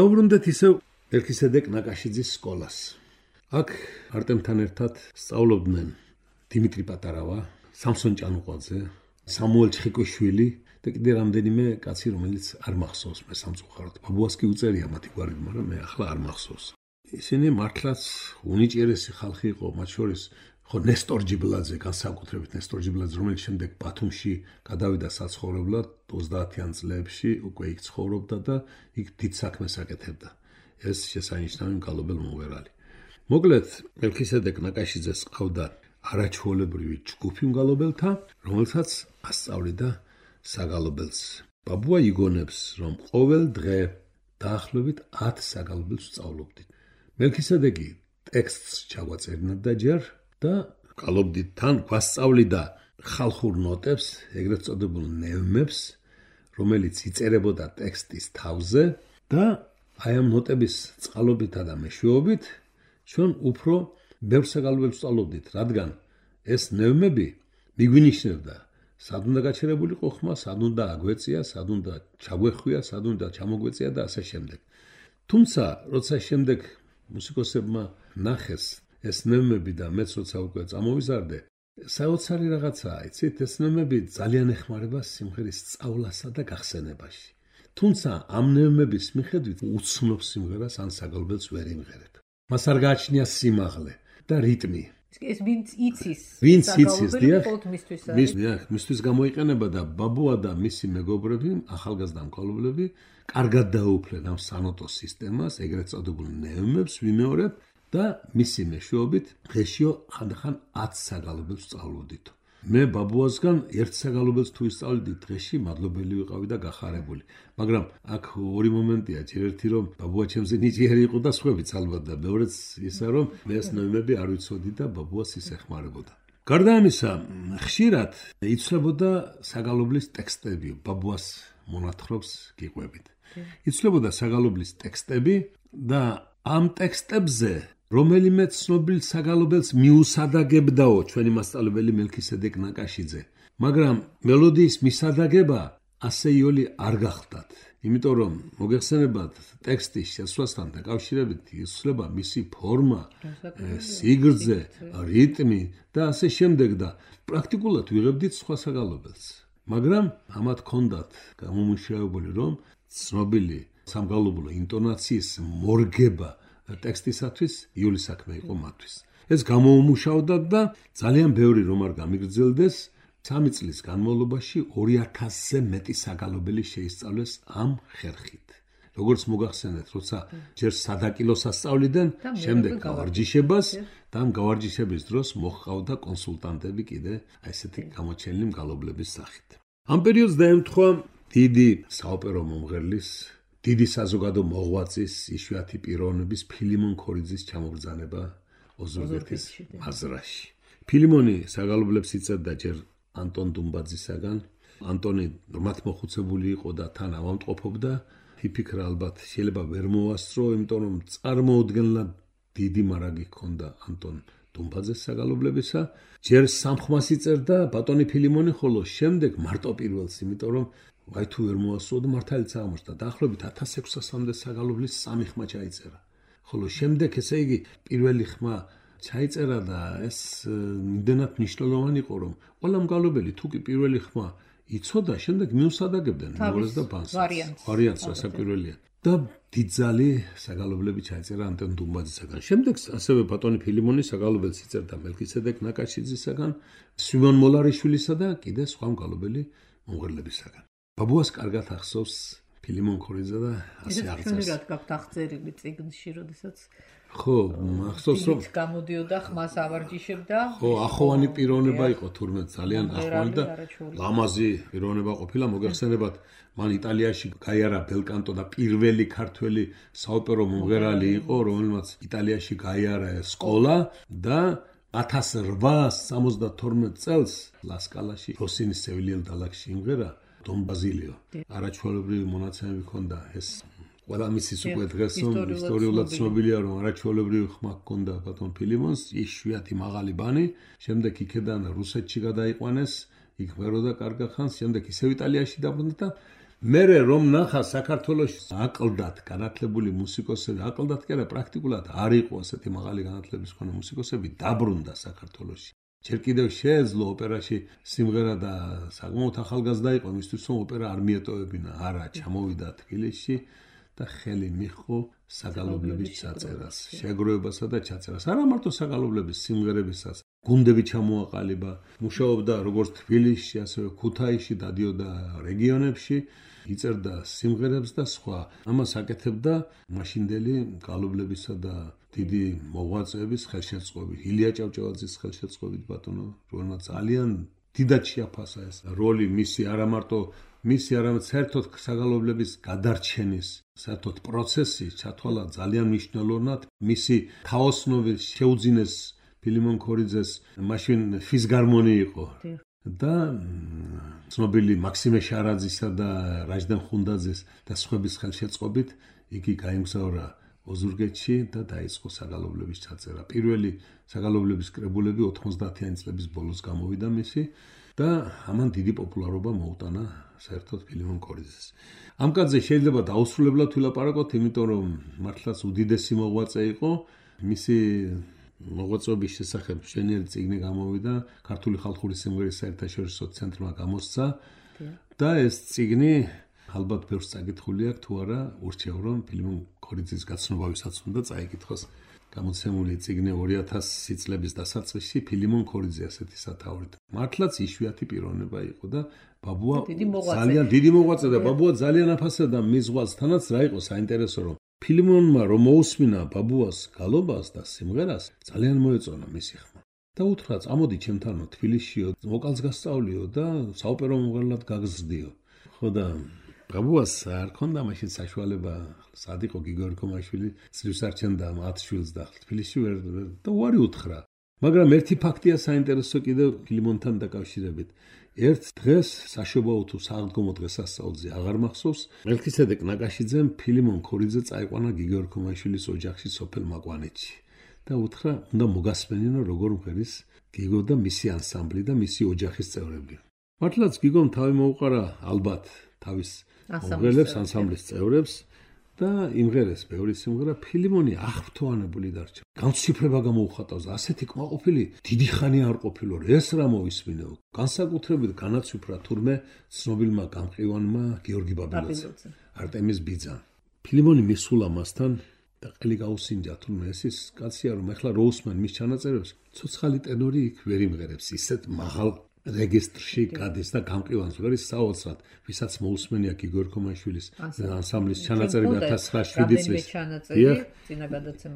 დავბრუნდეთ ისევ მელქისედეკ ნაკაშიძის სკოლას. აქ არტემთან ერთად სწავლობდნენ დიმიტრი პატარავა, სამსონ ჭანუყვაძე, სამუელ ჩხიკვიშვილი და კიდე რამდენიმე კაცი, რომელიც არ მახსოვს მე სამწუხაროდ. ბაბუას კი უწერია მათი გვარი, მაგრამ მე ახლა არ მახსოვს. ისინი მართლაც უნიჭიერესი ხალხი იყო, მათ შორის ხო ნესტორ ჯიბლაძე, განსაკუთრებით ნესტორ ჯიბლაძე, რომელიც შემდეგ ბათუმში გადავიდა საცხოვრებლად ოცდაათიან წლებში, უკვე იქ ცხოვრობდა და იქ დიდ საქმეს აკეთებდა. ეს შესანიშნავი მგალობელ მომღერალი. მოკლედ, მელქისედეკ ნაკაშიძეს ყავდა არაჩვეულებრივი ჯგუფი მგალობელთა, რომელთაც ასწავლიდა საგალობელს. ბაბუა იგონებს, რომ ყოველ დღე დაახლოებით ათ საგალობელს სწავლობდით. მელქისედეკი ტექსტს ჩაგვაწერინებდა ჯერ და გალობდით თან გვასწავლიდა ხალხურ ნოტებს, ეგრეთ წოდებულ ნევნებს, რომელიც იწერებოდა ტექსტის თავზე და აი ამ ნოტების წყალობითა და მეშვეობით ჩვენ უფრო ბევრ საგალობელს სწავლობდით, რადგან ეს ნევნები მიგვინიშნებდა სად უნდა გაჩერებულიყო ხმა, სად უნდა აგვეწია, სად უნდა ჩაგვეხვია, სად უნდა ჩამოგვეწია და ასე შემდეგ. თუმცა, როცა შემდეგ მუსიკოსებმა ნახეს ეს ნევნები და მეც როცა უკვე წამოვიზარდე, საოცარი რაღაცაა, იცით, ეს ნევნები ძალიან ეხმარება სიმღერის სწავლასა და გახსენებაში. თუმცა ამ ნევნების მიხედვით უცნობ სიმღერას ან საგალობელს ვერ იმღერებ. მას არ გააჩნია სიმაღლე და რიტმი. ეს ვინც იცის, ვინც იცის, დიახ, მისთვის მისთვის გამოიყენება და ბაბუა და მისი მეგობრები, ახალგაზრდა მგალობლები, კარგად დაუფლენ ამ სანოტო სისტემას, ეგრეთ წოდებულ ნევნებს ვიმეორებ და მისი მეშვეობით დღეშიო ხანდახან ათ საგალობელს სწავლობდით. მე ბაბუასგან ერთ საგალობელს თუ ისწავლედი დღეში, მადლობელი ვიყავი და გახარებული. მაგრამ აქ ორი მომენტია, ჯერ ერთი რომ ბაბუა ჩემზე ნიჭიერი იყო და სხვაებიც ალბათ და მეორეც ისა რომ მე ეს ნევნები არ ვიცოდი და ბაბუას ის ეხმარებოდა. გარდა ამისა, ხშირად იცვლებოდა საგალობლის ტექსტები, ბაბუას მონათხრობს გიყვებით. იცვლებოდა საგალობლის ტექსტები და ამ ტექსტებზე რომელიმე ცნობილ საგალობელს მიუსადაგებდაო ჩვენი მასწავლებელი მელქისედეკ ნაკაშიძე, მაგრამ მელოდიის მისადაგება ასეიოლი არ გახდათ. იმიტომ რომ მოგეხსენებათ ტექსტის შესვლასთან დაკავშირებით იცვლება მისი ფორმა, სიგრძე, რიტმი და ასე შემდეგ და პრაქტიკულად ვიღებდით სხვა საგალობელს. მაგრამ ამათ ჰქონდათ გამომუშავებული რომ ცნობილი სამგალობლო ინტონაციის მორგება ტექსტისათვის იული საქმე იყო მათთვის. ეს გამოუმუშავდათ და ძალიან ბევრი რომ არ გამიგრძელდეს, სამი წლის განმავლობაში ორი ათასზე მეტი საგალობელი შეისწავლეს ამ ხერხით. როგორც მოგახსენეთ, როცა ჯერ სადაკილოს ასწავლიდნენ, შემდეგ გავარჯიშებას და ამ გავარჯიშების დროს მოჰყავდა კონსულტანტები კიდე აი ესეთი გამოჩენილი მგალობლების სახით. ამ პერიოდს დაემთხვა დიდი საოპერო მომღერლის, დიდი საზოგადო მოღვაწის, იშვიათი პიროვნების ფილიმონ ქორიძის ჩამოგზანება ოზურგეთის მაზრაში. ფილიმონი საგალობლებს იწერდა ჯერ ანტონ დუმბაძისაგან. ანტონი მათ მოხუცებული იყო და თან ავამტყოფობდა. იფიქრა ალბათ შეიძლება ვერ მოასწრო, იმიტომ რომ წარმოუდგენლად დიდი მარაგი ჰქონდა ანტონ დუმბაძეს საგალობლებისა. ჯერ სამხმას იწერდა ბატონი ფილიმონი, ხოლო შემდეგ მარტო პირველს, იმიტომ რომ ვაი თუ ვერ მოასწრო და მართალიც აღმოჩნდა. დაახლოებით ათას ექვსასამდე საგალობლის სამი ხმა ჩაიწერა. ხოლო შემდეგ ესე იგი პირველი ხმა ჩაიწერა და ეს იმდენად მნიშვნელოვანი იყო, რომ ყველა მგალობელი თუ კი პირველი ხმა იცოდა, შემდეგ მიუსადაგებდნენ მეორეს და ბანს. ვარიანტს რასაკვირველია. და დიდძალი საგალობლები ჩაიწერა ანტონ დუმბაძისაგან. შემდეგ ასევე ბატონი ფილიმონი საგალობელს იწერდა მელქისედეკ ნაკაშიძისაგან, სვიმონ მოლარიშვილისა და კიდე სხვა მგალობელი მომღერლებისაგან. ბაბუას კარგად ახსოვს ფილიმონ ქორიძე და ასე აღწერს. ეს ჩვენურად გაქვთ აღწერილი წიგნში, როდესაც ხო, ახსოვს რომ გამოდიოდა ხმას ავარჯიშებდა. ხო, ახოვანი პიროვნება იყო თურმე ძალიან ახოვანი და ლამაზი პიროვნება ყოფილა. მოგეხსენებათ, მან იტალიაში გაიარა ბელკანტო და პირველი ქართველი საოპერო მომღერალი იყო, რომელმაც იტალიაში გაიარა სკოლა და ათას რვაასი სამოცდათორმეტ წელს ლასკალაში როსინის სევილიელ დალაგში იმღერა დონ ბაზილიო. არაჩვეულებრივი მონაცემები ჰქონდა ეს ყველა მისის უკვე დღეს ისტორიულად ცნობილია, რომ არაჩვეულებრივი ხმა ჰქონდა ბატონ ფილიმონს, იშვიათი მაღალი ბანი, შემდეგ იქედან რუსეთში გადაიყვანეს, იქ მღეროდა კარგა ხანს, შემდეგ ისევ იტალიაში დაბრუნდა და მერე რომ ნახა საქართველოში აკლდათ განათლებული მუსიკოსები, აკლდათ კი არა, პრაქტიკულად არ იყო ასეთი მაღალი განათლების მქონე მუსიკოსები, დაბრუნდა საქართველოში. ჯერ კიდევ შეეძლო ოპერაში სიმღერა და საკმაოდ ახალგაზრდა იყო, მისთვის რომ ოპერა არ მიეტოვებინა, არა, ჩამოვიდა თბილისში და ხელი მიჰყო საგალობლების ჩაწერას, შეგროვებასა და ჩაწერას. არა მარტო საგალობლების სიმღერებისაც, გუნდები ჩამოაყალიბა, მუშაობდა როგორც თბილისში, ასევე ქუთაისში, დადიოდა რეგიონებში, იწერდა სიმღერებს და სხვა. ამას აკეთებდა მაშინდელი მგალობლებისა და დიდი მოღვაწეების ხელშეწყობით, ილია ჭავჭავაძის ხელშეწყობით ბატონო, რომელმაც ძალიან დიდად შეაფასა ეს როლი მისი, არა მარტო მისი, არამედ საერთოდ საგალობლების გადარჩენის საერთოდ პროცესი ჩათვალა ძალიან მნიშვნელოვნად. მისი თაოსნობით შეუძინეს ფილიმონ ქორიძეს მაშინ ფიზგარმონი იყო და ცნობილი მაქსიმე შარაძისა და რაჯდენ ხუნდაძის და სხვების ხელშეწყობით იგი გაემგზავრა ოზურგეთში და დაიწყო საგალობლების ჩაწერა. პირველი საგალობლების კრებულები ოთხმოცდაათიანი წლების ბოლოს გამოვიდა მისი და ამან დიდი პოპულარობა მოუტანა საერთოდ ფილიმონ ქორიძეს. ამ კაცზე შეიძლება დაუსრულებლად ვილაპარაკოთ, იმიტომ რომ მართლაც უდიდესი მოღვაწე იყო. მისი მოღვაწეობის შესახებ მშვენიერი წიგნი გამოვიდა, ქართული ხალხური სიმღერის საერთაშორისო ცენტრმა გამოსცა და ეს წიგნი ალბათ ბევრს წაკითხული აქვს, თუ არა ურჩევ რომ ფილიმონ ქორიძის გაცნობავისაც უნდა წაიკითხოს. გამოცემული წიგნი ორი ათასი წლების დასაწყისში ფილიმონ ქორიძე ასეთი სათაურით. მართლაც იშვიათი პიროვნება იყო და ბაბუა ძალიან დიდი მოღვაწე და ბაბუა ძალიან აფასებდა მის ზღვასთანაც რა იყო საინტერესო რომ ფილიმონმა რომ მოусმინა ბაბუას გალობას და სიმღერას ძალიან მოეწონა მისი ხმა. და უთხრა, წამოდი ჩემთანო თბილისშიო, ვოკალს გასწავლიო და საოპერო მომღერლად გაგზრდიო. ხო და ბაბუას არ ქონდა მაშინ საშუალება, სად იყო გიგო ერქომაშვილი, ძლივს არჩენდა მათ შვილს და თბილისში ვერ და უარი უთხრა. მაგრამ ერთი ფაქტია საინტერესო კიდევ ფილიმონთან დაკავშირებით. ერთ დღეს საშობაო თუ საღდგომო დღესასწაულზე აღარ მახსოვს, მელქისედეკ ნაკაშიძემ ფილიმონ ქორიძე წაიყვანა გიგო ერქომაიშვილის ოჯახში სოფელ მაკვანეთში და უთხრა, უნდა მოგასმენინო როგორ მღერის გიგო და მისი ანსამბლი და მისი ოჯახის წევრები. მართლაც გიგომ თავი მოუყარა ალბათ თავის მომღერლებს, ანსამბლის წევრებს და იმღერეს ბევრი სიმღერა. ფილიმონი აღფრთოვანებული დარჩა. განციფრება გამოუხატავს, ასეთი კმაყოფილი დიდი ხანი არ ყოფილო, ეს რა მოისმინო. განსაკუთრებით განაცვიფრა თურმე ცნობილმა გამყივანმა გიორგი ბაბილოძე, არტემის ბიძამ. ფილიმონი მისულა მასთან და ყელი გაუსინჯა, თურმე ეს ის კაცია, რომ ეხლა რო უსმენ მის ჩანაწერებს, ცოცხალი ტენორი იქ ვერ იმღერებს, ისეთ მაღალ რეგისტრში გადის და გამყივანს ვერის საოცრად, ვისაც მოусმენია გიგო ერქომაიშვილის ანსამბლის ჩანაწერები ათას ცხრაასი წლის.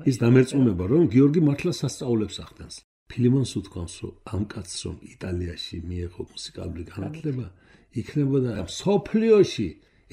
ის დამერწმუნება, რომ გიორგი მართლა სასწაულებს ახდენს. ფილიმონს უთქვამს, რომ ამ კაცს რომ იტალიაში მიეღო მუსიკალური განათლება, იქნებოდა მსოფლიოში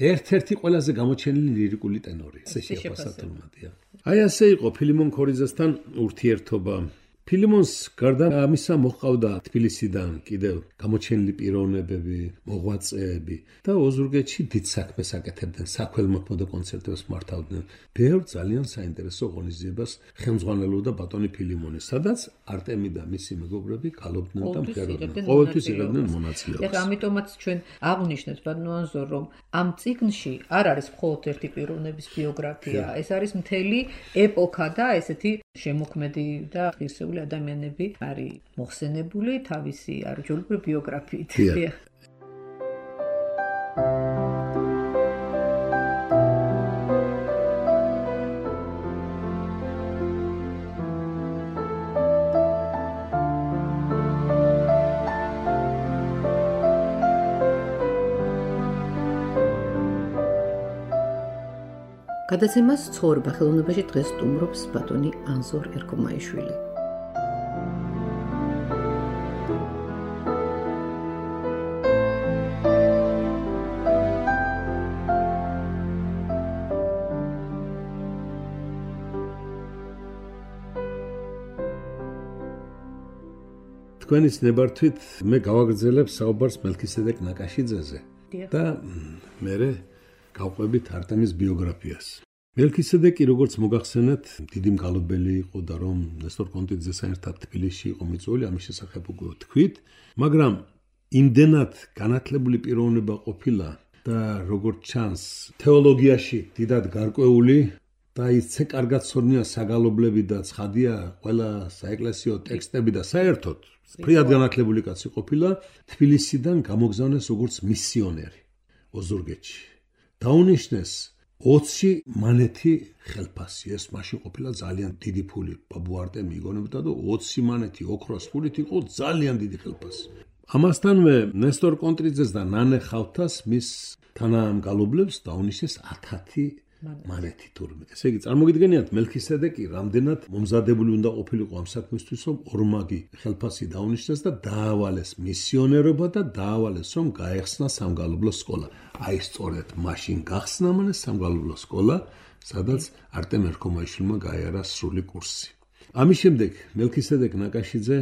ერთ-ერთი ყველაზე გამოჩენილი ლირიკული ტენორი. ესე შეფასა თუმადია. აი ასე იყო ფილიმონ ქორიძესთან ურთიერთობა. ფილიმონს გარდა ამისა მოჰყავდა თბილისიდან კიდევ გამოჩენილი პიროვნებები, მოღვაწეები და ოზურგეთში დიდ საქმეს აკეთებდნენ, საქველმოქმედო კონცერტებს მართავდნენ. ბევრ ძალიან საინტერესო ღონისძიებას ხელმძღვანელობდა ბატონი ფილიმონი, სადაც არტემი და მისი მეგობრები გალობდნენ და მღეროდნენ. ყოველთვის იღებდნენ მონაწილეობას. ეხლა ამიტომაც ჩვენ აღვნიშნეთ ბატონო, რომ ამ წიგნში არ არის მხოლოდ ერთი პიროვნების ბიოგრაფია, ეს არის მთელი ეპოქა და ესეთი შემოქმედი და ღირსეული ადამიანები არის მოხსენებული თავისი არაჯოლური ბიოგრაფიით. გადაცემას ცხოვრება ხელოვნებაში დღეს სტუმრობს ბატონი ანზორ ერქომაიშვილი. თქვენის ნებართვით მე გავაგრძელებ საუბარს მელქისედეკ ნაკაშიძეზე და მე გავყვებით არტემის ბიოგრაფიას. მელქისედეკი, როგორც მოგახსენეთ, დიდი მგალობელი იყო და რომ ნესტორ კონტიძესთან ერთად თბილისში იყო მიწვეული, ამის შესახებ უკვე თქვით, მაგრამ იმდენად განათლებული პიროვნება ყოფილა და როგორც ჩანს, თეოლოგიაში დიდად გარკვეული და ისე კარგად ცოდნია საგალობლები და ცხადია ყველა საეკლესიო ტექსტები და საერთოდ ფრიად განათლებული კაცი ყოფილა, თბილისიდან გამოგზავნეს როგორც მისიონერი ოზურგეთში. დაუნიშნეს ოცი მანეთი ხელფასი, ეს მაშინ ყოფილა ძალიან დიდი ფული. ბაბუ არტემი იგონებდა და ოცი მანეთი ოქროს ფულით იყო ძალიან დიდი ხელფასი. ამასთანვე ნესტორ კონტრიძეს და ნანე ხავთას მის თანამგალობლებს დაუნიშნეს ათათი მანეთი თურმე. ესე იგი, წარმოგიდგენიათ, მელქისედეკი რამდენად მომზადებული უნდა ყოფილიყო ამ საქმისთვის, რომ ორმაგი ხელფასი დაუნიშნეს და დაავალეს მისიონერობა და დაავალეს, რომ გაეხსნა სამგალობლო სკოლა. აი სწორედ მაშინ გახსნა მან სამგალობლო სკოლა, სადაც არტემ ერქომაიშვილმა გაიარა სრული კურსი. ამის შემდეგ მელქისედეკ ნაკაშიძე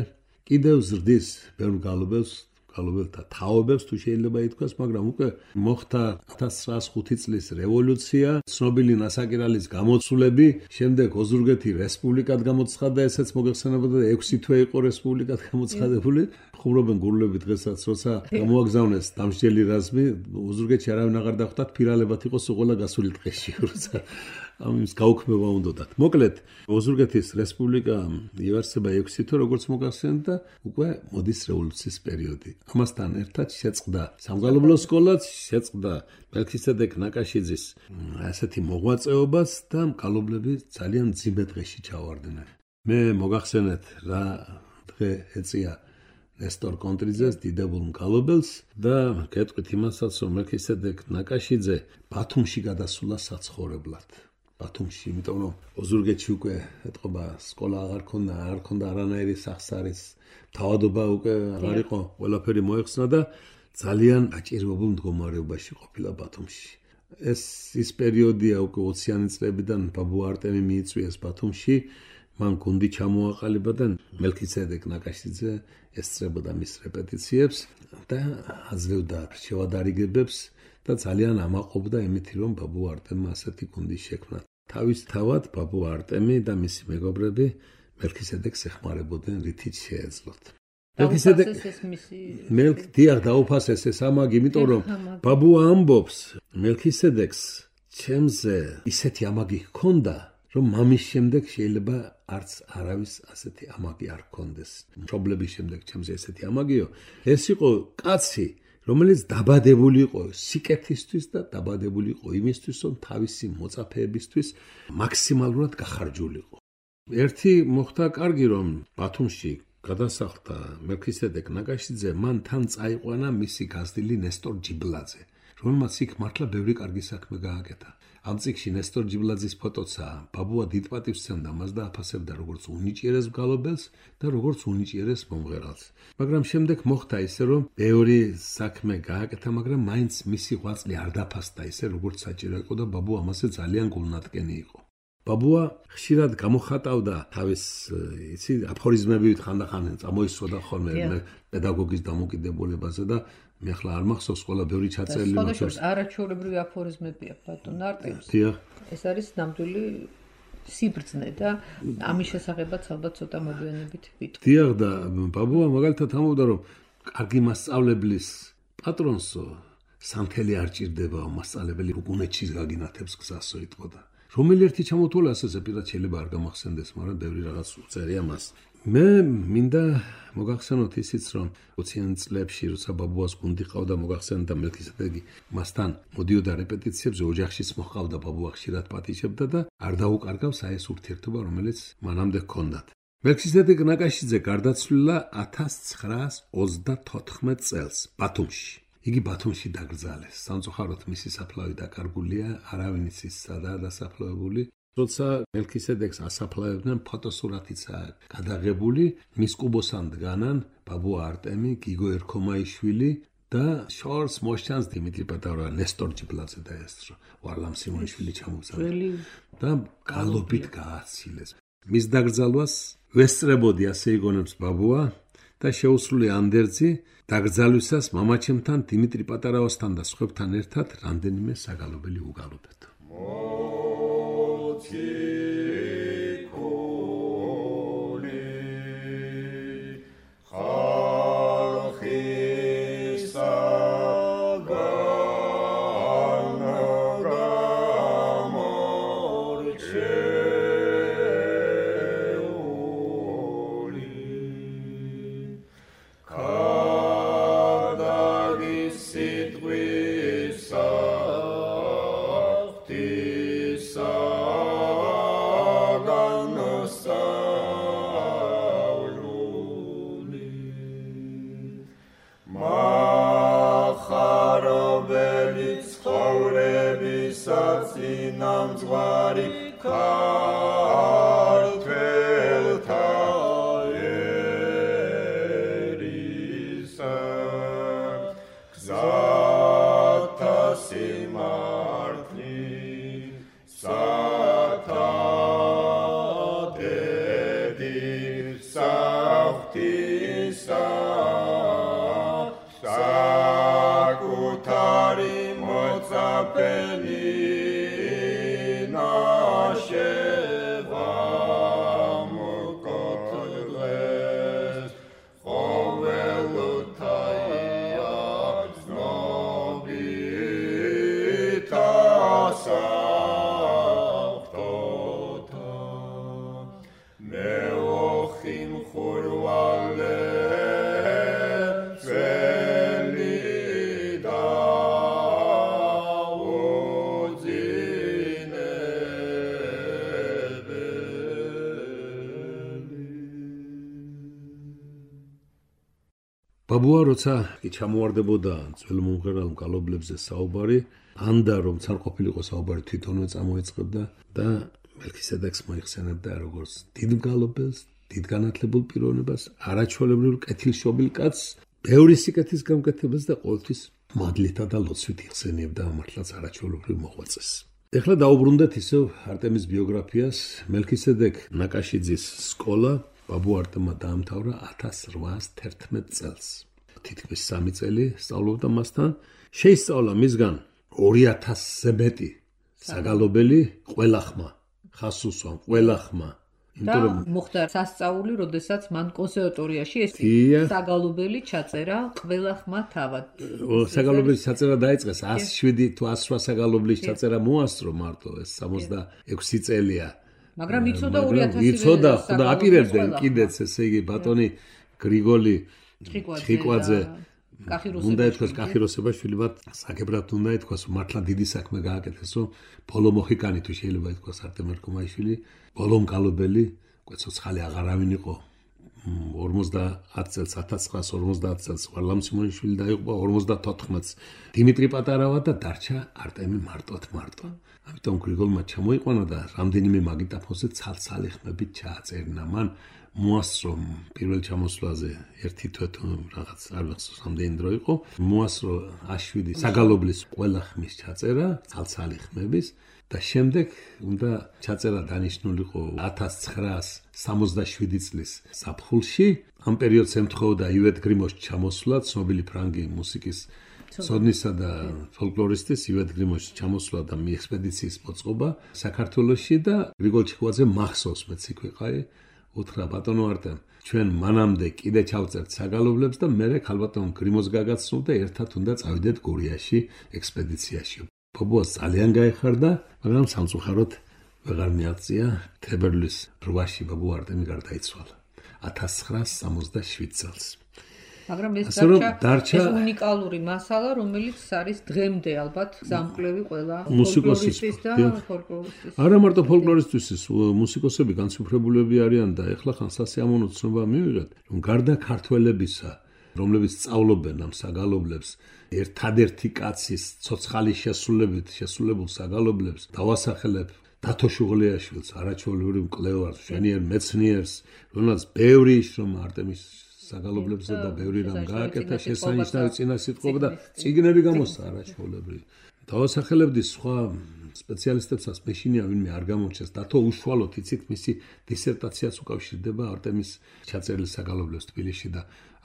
კიდევ ზრდის ბევრ მგალობელს, მგალობელთა თაობებს თუ შეიძლება ითქვას, მაგრამ უკვე მოხდა ათას ცხრაასი ხუთი წლის რევოლუცია, ცნობილი ნასაკირალის გამოცვლები, შემდეგ ოზურგეთი რესპუბლიკად გამოცხადდა, ესეც მოგეხსენებოდა და ექვსი თვე იყო რესპუბლიკად გამოცხადებული. ხუმრობენ გურლები დღესაც, როცა გამოაგზავნეს დამსჯელი რაზმი, ოზურგეთში არავინ აღარ დახვდათ, ფირალებად იყო სულ გასული დღეში, როცა ამის გაუქმება უნდათ. მოკლედ, ოზურგეთის რესპუბლიკა იარსება ექვსი თვე, როგორც მოგახსენეთ და უკვე მოდის რევოლუციის პერიოდი. ამასთან ერთად შეწყდა სამგალობლო სკოლაც, შეწყდა მელქისედეკ ნაკაშიძის ასეთი მოღვაწეობას და მგალობლები ძალიან ძიმე დღეში ჩავარდნენ. მე მოგახსენეთ რა დღე ეწია ნესტორ კონტრიძეს დიდებულ მგალობელს და გეტყვით იმასაც, რომ მელქისედეკ ნაკაშიძე ბათუმში გადასულა საცხოვრებლად. ბათუმში, იმიტომ რომ ოზურგეთში უკვე ეთყობა სკოლა აღარ ქონდა, არ ქონდა არანაირი სახსარის, თავადობა უკვე აღარ იყო, ყველაფერი მოეხსნა და ძალიან აჭირვებულ მდგომარეობაში ყოფილა ბათუმში. ეს ის პერიოდია უკვე ოციანი წლებიდან ბაბუ არტემი მიიწვიეს ბათუმში, მან გუნდი ჩამოაყალიბა და მელქისედეკ ნაკაშიძე ესწრებოდა მის რეპეტიციებს და აძლევდა შევადარიგებებს და ძალიან ამაყობდა იმითი, რომ ბაბუ არტემმა ასეთი გუნდი შექმნა. თავის თავად ბაბუ არტემი და მისი მეგობრები მელქისედეკს ეხმარებოდნენ რითიც შეეძლოთ. მელქ დიახ დაუფასეს ეს ამაგი, იმიტომ რომ ბაბუ ამბობს მელქისედეკს ჩემზე ისეთი ამაგი ჰქონდა, რომ მამის შემდეგ შეიძლება არც არავის ასეთი ამაგი არ ჰქონდეს. მშობლების შემდეგ ჩემზე ესეთი ამაგიო. ეს იყო კაცი, რომელიც დაბადებული იყო სიკეთისთვის და დაბადებული იყო იმისთვის, რომ თავისი მოწაფეებისთვის მაქსიმალურად გახარჯულიყო. ერთი მოხდა კარგი, რომ ბათუმში გადასახლდა მელქისედეკ ნაკაშიძე, მან თან წაიყვანა მისი გაზრდილი ნესტორ ჯიბლაძე, რომელმაც იქ მართლა ბევრი კარგი საქმე გააკეთა. ამ წიგნში ნესტორ ჯიბლაძის ფოტოცაა. ბაბუა დიდ პატივს სცემდა მას და აფასებდა როგორც უნიჭიერეს მგალობელს და როგორც უნიჭიერეს მომღერალს. მაგრამ შემდეგ მოხდა ისე, რომ ბევრი საქმე გააკეთა, მაგრამ მაინც მისი ღვაწლი არ დაფასდა ისე, როგორც საჭირო იყო და ბაბუა ამაზე ძალიან გულნათკენი იყო. ბაბუა ხშირად გამოხატავდა თავის იცი აფორიზმებით ხანდახან წამოისვოდა ხოლმე პედაგოგის დამოკიდებულებაზე და მე ახლა არ მახსოვს ყველა ბევრი ჩაწერილი მაქვს. არაჩვეულებრივი აფორიზმებია ბატონ არტემს. ეს არის ნამდვილი სიბრძნე და ამის შესახებაც ალბათ ცოტა მოგვიანებით ვიტყვი. დიახ და ბაბუა მაგალითად ამბობდა, რომ კარგი მასწავლებლის პატრონსო სამთელი არ ჭირდებაო, მასწავლებელი უგუნეთშიც გაგინათებს გზასო იტყოდა. რომელი ერთი ჩამოთვალა ასეზე პირად შეიძლება არ გამახსენდეს, მაგრამ ბევრი რაღაც უწერია მას. მე მინდა მოგახსენოთ ისიც, რომ ოციან წლებში, როცა ბაბუას გუნდი ყავდა, მოგახსენდა მელქისედეკი მასთან მოდიოდა რეპეტიციებზე, ოჯახშიც მოჰყავდა, ბაბუა ხშირად პატიჟებდა და არ დაუკარგავს აი ეს ურთიერთობა, რომელიც მანამდე ჰქონდათ. მელქისედეკ ნაკაშიძე გარდაცვლილა ათას ცხრაას ოცდათოთხმეტ წელს ბათუმში. იგი ბათუმში დაკრძალეს. სამწუხაროდ მისი საფლავი დაკარგულია, არავინ იცის სადაა დასაფლავებული. როცა მელქისედეკს ასაფლავებდნენ, ფოტოსურათიცაა გადაღებული, მის კუბოსან დგანან ბაბუ არტემი, გიგო ერქომაიშვილი და შორს მოსჩანს დიმიტრი პატარა, ნესტორ ჯიბლაძე და ეს ვარლამ სიმონიშვილი ჩამოგზავნა და გალობით გააცილეს. მის დაკრძალვას ვესწრებოდი, ასე იგონებს ბაბუა და შეუსრულე ანდერძი დაკრძალვისას მამაჩემთან დიმიტრი პატარავასთან და სხვებთან ერთად რამდენიმე საგალობელი უგალობეთ. ბაბუა როცა კი ჩამოვარდებოდა ძველ მომღერალ მგალობლებზე საუბარი, ანდა რომ თან ყოფილიყო საუბარი თვითონვე წამოეწყებდა და მელქისედეკს მოიხსენებდა როგორც დიდ მგალობელს, დიდ განათლებულ პიროვნებას, არაჩვეულებრივ კეთილშობილ კაცს, ბევრი სიკეთის გამკეთებას და ყოველთვის მადლითა და ლოცვით იხსენიებდა მართლაც არაჩვეულებრივ მოღვაწეს. ეხლა დაუბრუნდეთ ისევ არტემის ბიოგრაფიას. მელქისედეკ ნაკაშიძის სკოლა ბაბუ არტემმა დაამთავრა ათას რვაას თერთმეტ წელს. თითქმის სამი წელი სწავლობდა მასთან. შეისწავლა მისგან ორი ათასზე მეტი საგალობელი ყველა ხმა, ხას უსვამ ყველა ხმა. და მოხდა სასწაული, როდესაც მან კონსერვატორიაში ეს საგალობელი ჩაწერა ყველა ხმა თავად. საგალობელი ჩაწერა დაიწყეს ას შვიდი თუ ას რვა საგალობლის ჩაწერა მოასწრო მარტო ეს სამოცდაექვსი წელია. მაგრამ იცოდა ორი ათასი იცოდა და აპირებდნენ კიდეც ესე იგი ბატონი გრიგოლი ჭიკვაძე უნდა ეთქვას კახიროსებაშვილი მათ საკებრად უნდა ეთქვას მართლა დიდი საქმე გააკეთესო ბოლო მოხიკანი თუ შეიძლება ეთქვას არტემ ერქომაიშვილი ბოლო მკალობელი კვეცოცხალი აღარავინ იყო ორმოცდაათ წელს ათას ცხრაას ორმოცდაათ წელს ვარლამ სიმონიშვილი დაიღუპა ორმოცდათოთხმეტს დიმიტრი პატარავა და დარჩა არტემი მარტოთ მარტო ამიტომ გრიგოლმა ჩამოიყვანა და რამდენიმე მაგიტაფონზე ცალ-ცალი ხმებით ჩააწერინა მან მოასწრო პირველ ჩამოსვლაზე ერთი თვე თუ რაღაც არ ვახსოვს რამდენი დრო იყო მოასწრო აშვიდი საგალობლის ყველა ხმის ჩაწერა ცალ-ცალი ხმების და შემდეგ უნდა ჩაწერა დანიშნულიყო ათას ცხრაას სამოცდაშვიდი წლის საფხულში ამ პერიოდს ემთხოვდა ივეთ გრიმოს ჩამოსვლა ცნობილი ფრანგი მუსიკის ცოდნისა და ფოლკლორისტის ივეთ გრიმოს ჩამოსვლა და მიექსპედიციის მოწყობა საქართველოში და გრიგოლ ჭიკვაძე მახსოვს მეც იქ ვიყავი უთხრა ბატონო არტემ ჩვენ მანამდე კიდე ჩავწერთ საგალობლებს და მერე ქალბატონ გრიმოს გაგაცნობ და ერთად უნდა წავიდეთ გურიაში ექსპედიციაში. ბაბუას ძალიან გაეხარდა, მაგრამ სამწუხაროდ ვეღარ მიაღწია თებერვლის რვაში ბაბუ არტემი გარდაიცვალა ათას ცხრაას სამოცდაშვიდ წელს. მაგრამ ეს დარჩა ეს უნიკალური მასალა, რომელიც არის დღემდე ალბათ გამკლევი ყველა მუსიკოსის და ფოლკლორისტის. არა მარტო ფოლკლორისტის, მუსიკოსები განსუფრებულები არიან და ეხლა ხან სასიამოვნო ცნობა მივიღეთ, რომ გარდა ქართველებისა, რომლებიც სწავლობენ ამ საგალობლებს, ერთადერთი კაცის ცოცხალი შესრულებით შესრულებულ საგალობლებს დავასახელებ დათო შუღლიაშვილს, არაჩვეულებრივ მკვლევარს, მშვენიერ მეცნიერს, რომელსაც ბევრი შრომა არტემის საგალობლებზე და ბევრი რამ გააკეთა შესანიშნავი წინასიტყვობა და წიგნები გამოსცა არაჩვეულებრივი. დავასახელებდი სხვა სპეციალისტებსაც მეშინია ვინმე არ გამორჩეს დათო უშუალოდ იცით მისი დისერტაციაც უკავშირდება არტემის ჩაწერილ საგალობლებს თბილისში და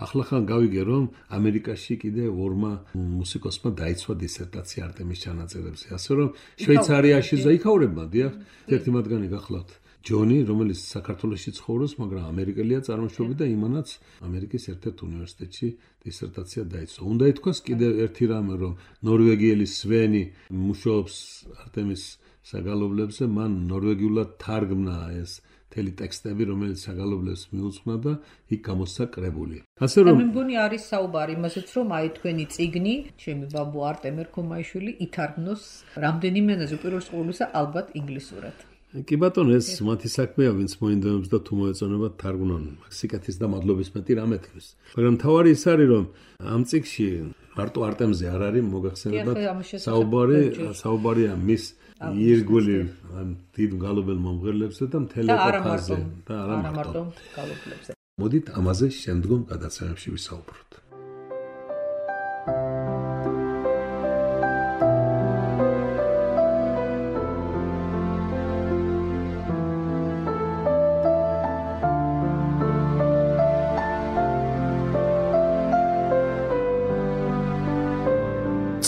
ახლახან გავიგე რომ ამერიკაში კიდე ორმა მუსიკოსმა დაიცვა დისერტაცია არტემის ჩანაწერებზე ასე რომ შვეიცარიაში ზაიქაურებმა დიახ ერთი მათგანი გახლავთ ჯონი, რომელიც საქართველოში ცხოვრობს, მაგრამ ამერიკელია წარმოშობით და იმანაც ამერიკის ერთ-ერთ უნივერსიტეტში დისერტაცია დაიცვა. უნდა ითქვას კიდევ ერთი რამე, რომ ნორვეგიელი სვენი მუშაობს არტემის საგალობლებზე, მან ნორვეგიულად თარგმნა ეს მთელი ტექსტები, რომელიც საგალობლებს მიუძღვნა და იქ გამოსცა კრებული. ასე რომ მე მგონი არის საუბარი იმასაც, რომ აი თქვენი წიგნი, ჩემი ბაბუ არტემ ერქომაიშვილი ითარგმნოს რამდენიმე ენაზე, უპირველეს ყოვლისა ალბათ ინგლისურად. კი ბატონო ეს მათი საქმეა ვინც მოინდომებს და თუ მოეწონება თარგმნონ სიკეთის და მადლობის მეტი რამე თქვის მაგრამ თავარი ის არის რომ ამ წიგნში მარტო არტემზე არ არის მოგახსენებათ საუბარი საუბარია მის ირგვლივ ამ დიდ გალობელ მომღერლებზე და მთელი ეპოქაზე და არა მარტო გალობლებზე მოდით ამაზე შემდგომ გადაცემებში ვისაუბროთ.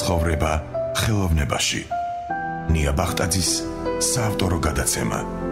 ცხოვრება ხელოვნებაში. ნია ბახტაძის საავტორო გადაცემა.